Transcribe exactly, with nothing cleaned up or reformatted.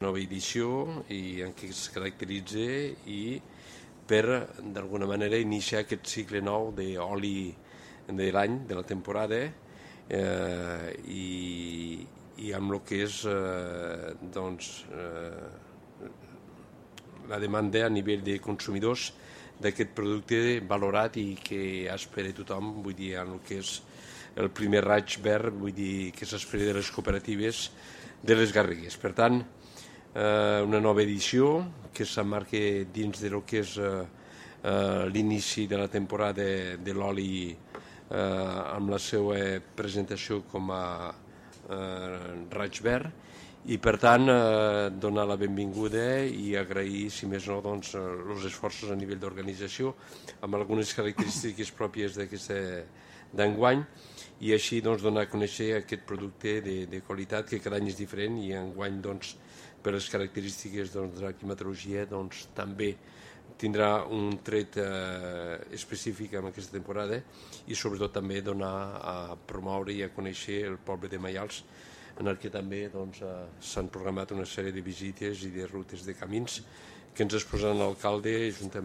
nova edició i en què es caracteritza i per, d'alguna manera, iniciar aquest cicle nou d'oli de l'any, de la temporada, eh, i, i amb el que és eh, doncs, eh, la demanda a nivell de consumidors d'aquest producte valorat i que espera tothom, vull dir, en el que és el primer raig verd, vull dir, que s'espera de les cooperatives de les Garrigues. Per tant, eh, una nova edició que s'emmarca dins del que és eh, eh, l'inici de la temporada de l'oli eh, amb la seva presentació com a eh, raig verd, i per tant eh, donar la benvinguda i agrair, si més no, doncs, els esforços a nivell d'organització amb algunes característiques pròpies d'aquesta d'enguany, i així doncs, donar a conèixer aquest producte de, de qualitat que cada any és diferent, i enguany doncs, per les característiques doncs, de la climatologia doncs, també tindrà un tret eh, específic en aquesta temporada, i sobretot també donar a promoure i a conèixer el poble de Maials, en el que també doncs, eh, s'han programat una sèrie de visites i de rutes de camins que ens exposaran l'alcalde juntament